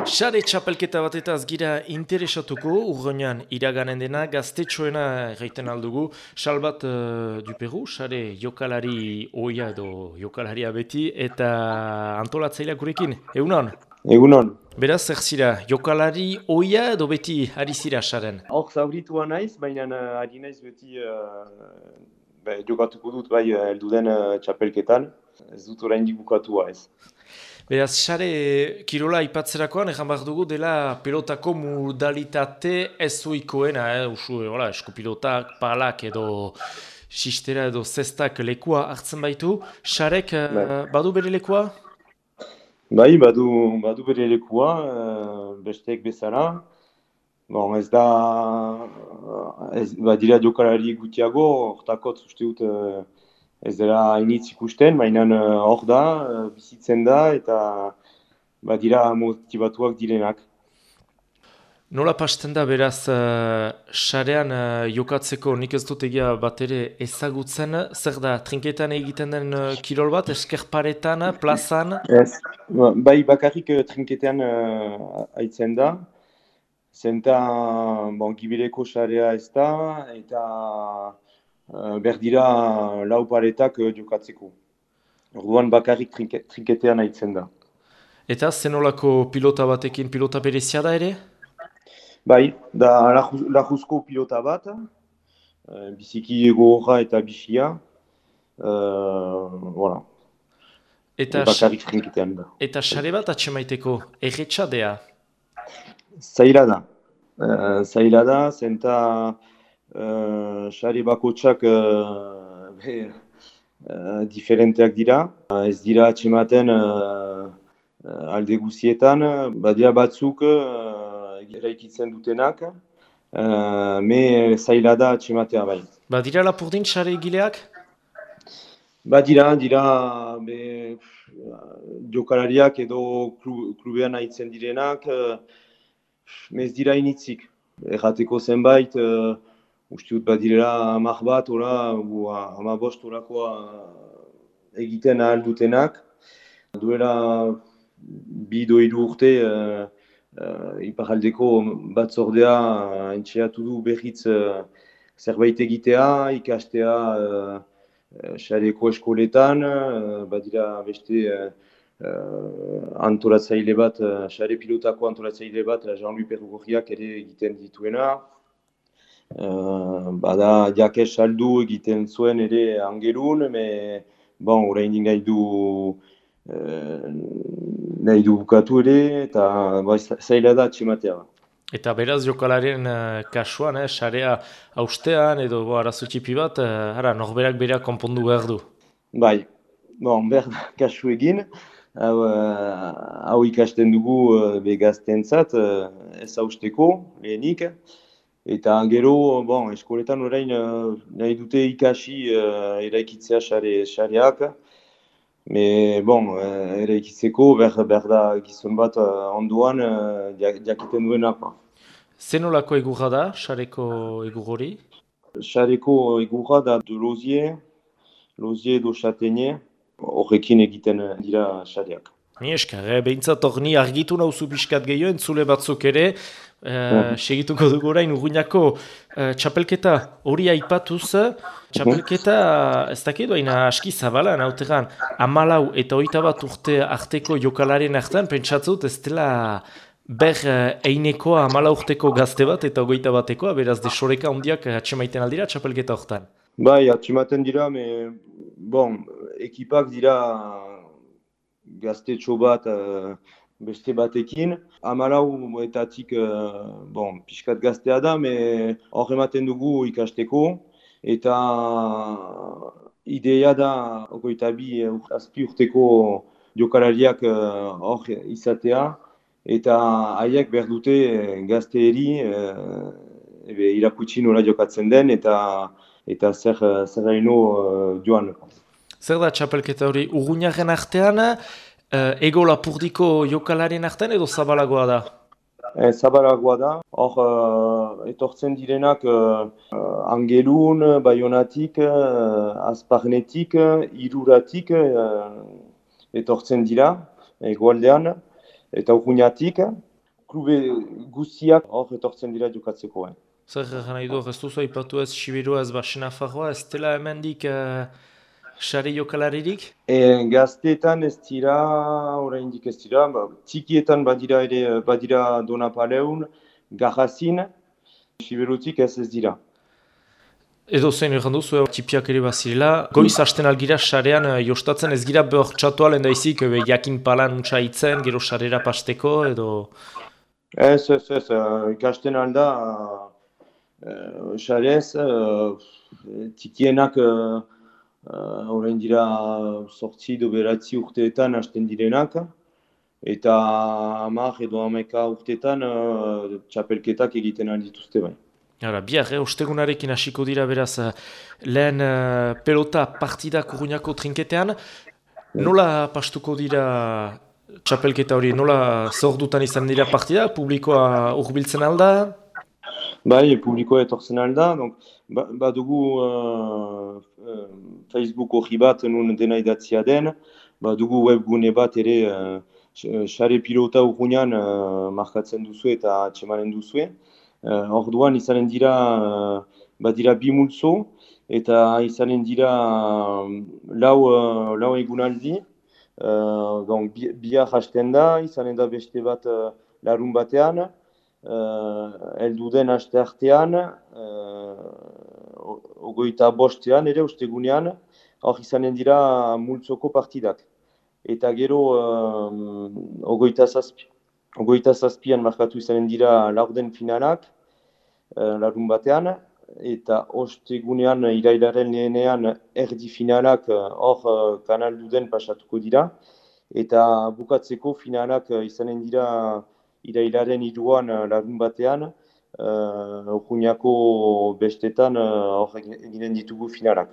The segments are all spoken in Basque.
Sare txapelketa batetaz gira interesatuko, urgoinan iraganen dena, gaztetxoena egiten aldugu. Salbat Duperu, sare jokalari oia edo jokalaria beti, eta antolatzaileak gurekin, egunon? Egunon. Beraz, zer zira, jokalari oia edo beti ari zira saren? Hor zauritua naiz, baina ari naiz beti jokatuko dut bai heldu den txapelketan. Ez dut oraindik bukatua ez. Beraz, sare kirola aipatzerakoan, egan behar dugu dela pelotako modalitate ez oikoena, eskupilotak, palak edo sistera edo zestak lekua hartzen baitu. Sarek Bai, badu bere lekua? bai badu bere lekua, besteek bezala. Bon, ez da, badira jokalari gutiago, hortakotz uste dut ez dela hainitz ikusten, baina hor da, bizitzen da, eta badira motibatuak direnak. Nola pasten da beraz, sarean jokatzeko nik ez dut egia bat ere ezagutzen, zer da, trinketan egiten den kirol bat, eskerparetan, plazan? Ez, bai bakarrik trinketean aitzen da, zenta bon, gibeleko sarea ez da, eta berdira lau paretak jokatzeko. Orduan bakarrik trinketean aitzen da. Eta zenolako pilota batekin pilota berezia da ere? Bai, da lajuzko pilota bat, biziki gogorra eta bisia, voilà. Eta, Bakarrik trinketean da. eta sare bat atxemaiteko, erretxadea. Zaila da. Zaila da, zenta sare bakotsak diferenteak dira. Ez dira atxematen alde guzietan, badira batzuk eraikitzen dutenak, me zaila da atxematea bai. Badira lapurdin sare egileak? Badira, jokalariak edo klubean aitzen direnak, ez dira initzik. Errateko zenbait, uste dut badirela 10 bat, ora, 15 orakoa egiten ahal dutenak. Duela 2-3 urte, iparraldeko batzordea entxeatu du berriz zerbait egitea, ikastea sareko eskoletan, badira beste antolatzaile bat, sare pilotako antolatzaile bat, Jean-Louis Perugorriak ere egiten dituena. Bada Jakes Saldu egiten zuen ere Angelun, bon, oraindik nahi du bukatu ere, eta zaila da atxematea. Eta beraz jokalarien kasuan, sarea haustean edo arazo txipi bat, norberak berak konpondu behar du. Bai, bon, behar kasu egin, hau ikasten dugu begaztentzat, ez hausteko, lehenik. Eta gero, bon, eskoletan orain nahi dute ikasi eraikitzea sareak. Bon, eraikitzeko behar da gizon bat ondoan jakiten duena. Zenolako egurra da, sareko egur hori? Sareko egurra da de Lozier edo Châtaignier, horrekin egiten dira sareak. Ni eskar, behintzat hor ni argitu nauzu pixkat gehiago, entzule batzuk ere, segituko dugu orain Urruñako txapelketa hori aipatuz, txapelketa ez dakit baina aski zabalan, hautegan 14 eta 21 urte arteko jokalaren artean, pentsatzut ez dela ber einekoa 14 urteko gazte bat eta 21 batekoa, beraz desoreka handiak atxemaiten aldira txapelketa hortan. Bai, atxematen dira, bon, ekipak dira gaztetxo bat beste batekin. 14etatik bon, pixkat gaztea da, hor ematen dugu ikasteko. Eta ideia da 22 azpi urteko jokalariak hor izatea. Eta haiek behar dute gazteeri irakutsi nola jokatzen den eta zer haino joan. Zer da txapelketa hori Urruñaren artean, ego lapurdiko jokalarien artean edo zabalagoa da? Zabalagoa da. Hor etortzen direnak Angelun, Baionatik, Azparnetik, Iruratik etortzen dira, egoaldean, eta Urruñatik. klube guztiak hor etortzen dira jokatzeko. Zer nahi du, ez duzu aipatu ez Siberua ez Baxenafarroa, ez dela hemendik sare jokalaririk? Gazteetan ez dira, oraindik ez dira, txikietan badira ere, badira Donapaleun, Garrazin, Siberutik ez dira. Edo zein egin duzu, txipiak ere bazirela, goiz hasten algira sarean jostatzen ez gira behor txatu alen daizik, jakin palan untsa itzen, gero sarera pasteko, edo... Ez, ikasten alda, sarez, txikienak orain dira 8 edo 9 urteetan hasten direnak, eta 10 edo 11 urteetan txapelketak egiten aldituzte bai. Hala, bihar, ostegunarekin hasiko dira beraz, lehen pelota partidak Urruñako trinketean. Nola pastuko dira txapelketa hori, nola zordutan izan dira partida, publikoa hurbiltzen alda? Bai, publikoa etortzen alda, badugu Facebook hori bat nun dena idatzia den, badugu webgune bat ere sare pilota Urruñan markatzen duzu eta atxemanen duzue. Orduan izanen dira, badira 2 multzo, eta izanen dira lau egunaldi. Bihar hasten da, izanen da beste bat larun batean, heldu den aste artean, 25ean ere, ostegunean, hor izanen dira multzoko partidak. Eta gero 27an markatu izanen dira laurden finalak, larun batean, eta ostegunean irailaren lehenean erdi finalak hor kanalduden pasatuko dira, eta bukatzeko finalak izanen dira irailaren 3an larun batean, Urruñako bestetan hor eginen ditugu finalak.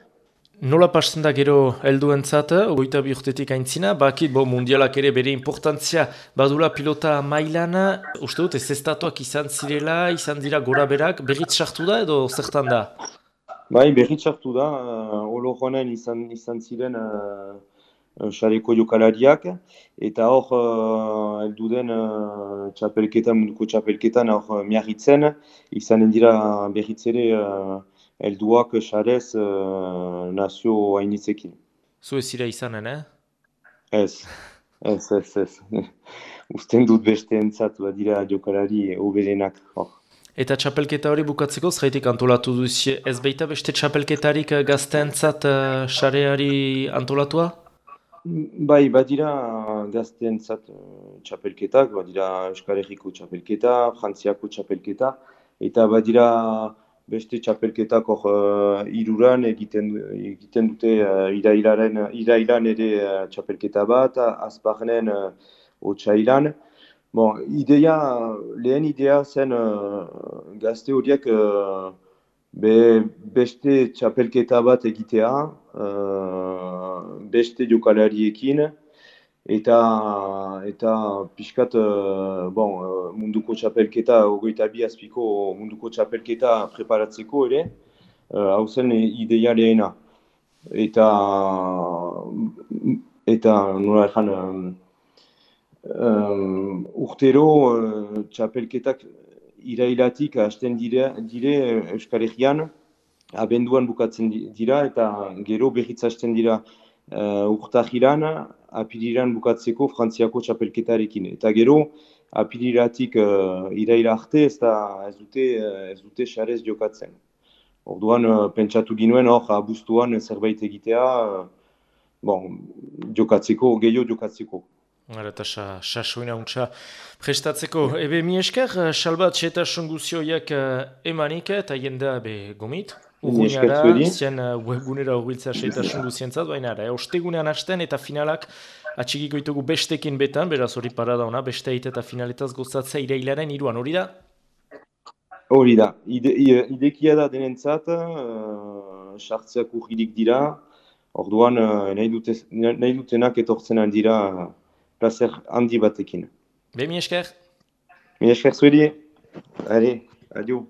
Nola pasten da gero helduentzat, 22 urtetik aintzina, bakit mundialak ere bere importantzia badula pilota mailan, uste dut ez estatuak izan zirela, izan dira gora berak, berriz sartu da edo zertan da? Bai, berriz sartu da, olo joanen izan ziren sareko jokalariak, eta hor heldu den munduko txapelketan hor miarritzen, izanen dira berriz ere helduak sarez nazio hainitzekin. Zu ez zira izanen, Ez. Usten dut besteentzat dira jokalari hoberenak. Eta txapelketa hori bukatzeko, zaitik antolatu duzie, ez baita beste txapelketarik gazteentzat sareari antolatua? Bai, badira gazteentzat txapelketak, badira Euskal Herriko txapelketa, Frantziako txapelketa, eta badira beste txapelketak hor Iruran egiten dute irailan ere txapelketa bat, Azparnen otsailan. Lehen idea zen gazte horiek beste txapelketa bat egitea, beste jokalariekin, eta pixkat munduko txapelketa, 22 azpiko munduko txapelketa preparatzeko ere, hau zen ideia lehena. Eta nola erran, urtero txapelketak irailatik hasten dire Euskal Herrian, abenduan bukatzen dira, eta gero berriz hasten dira urtahiran, apiriran bukatzeko Frantziako txapelketarekin. Eta gero, apiriratik iraila arte ez dute sarez jokatzen. Orduan, pentsatu ginuen hor, abuztuan zerbait egitea, gehiago jokatzeko. Eta sasoina untsa prestatzeko. Ebe mi esker, salbat xetasun guzioiak emanik eta jendea gomit. Urruñara, zien webgunera horbiltzea xetasun guzientzat, baina ostegunean hasten eta finalak atxikiko ditugu bestekin betan, beraz hori parada ona, beste eta finaletaz gozatzea irailaren 3an, hori da? Hori da, idekia da denentzat, sartzeak urririk dira, orduan nahi dutenak etortzen aldira placer handi batekin. Mi esker? Mi esker zuedi. Allez, adio.